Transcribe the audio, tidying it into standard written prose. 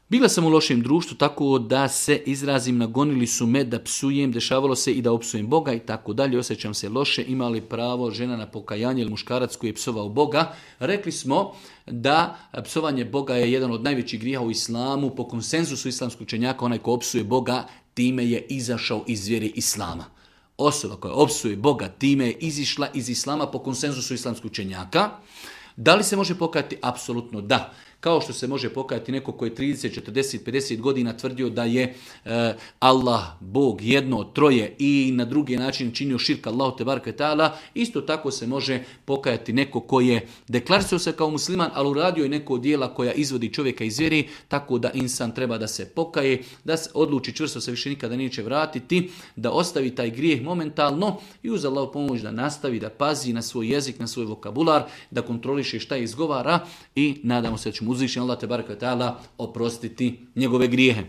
Bila sam u lošem društvu tako da se izrazim, nagonili su me da psujem, dešavalo se i da opsujem Boga i tako dalje, osjećam se loše, ima li pravo žena na pokajanje ili muškarac koji je psovao Boga. Rekli smo da psovanje Boga je jedan od najvećih grijeha u islamu, po konsenzusu islamskog učenjaka, onaj ko opsuje Boga, time je izašao iz vjere islama. Osoba koja opsuje Boga, time je izišla iz islama po konsenzusu islamskog učenjaka. Da li se može pokajati? Apsolutno da. Kao što se može pokajati neko koji je 30, 40, 50 godina tvrdio da je Allah, Bog, jedno, troje i na drugi način činio širk Allahu tebareke ve taala, isto tako se može pokajati neko koji je deklarisao se kao musliman, ali uradio je neko djela koja izvodi čovjeka iz vjere, tako da insan treba da se pokaje, da se odluči čvrsto se više nikada neće vratiti, da ostavi taj grijeh momentalno i uz Allahu pomoć da nastavi, da pazi na svoj jezik, na svoj vokabular, da kontroliše šta izgovara i nadamo se da ćemo uzvišeni Allah tebareke ve taala oprostiti njegove grijehe.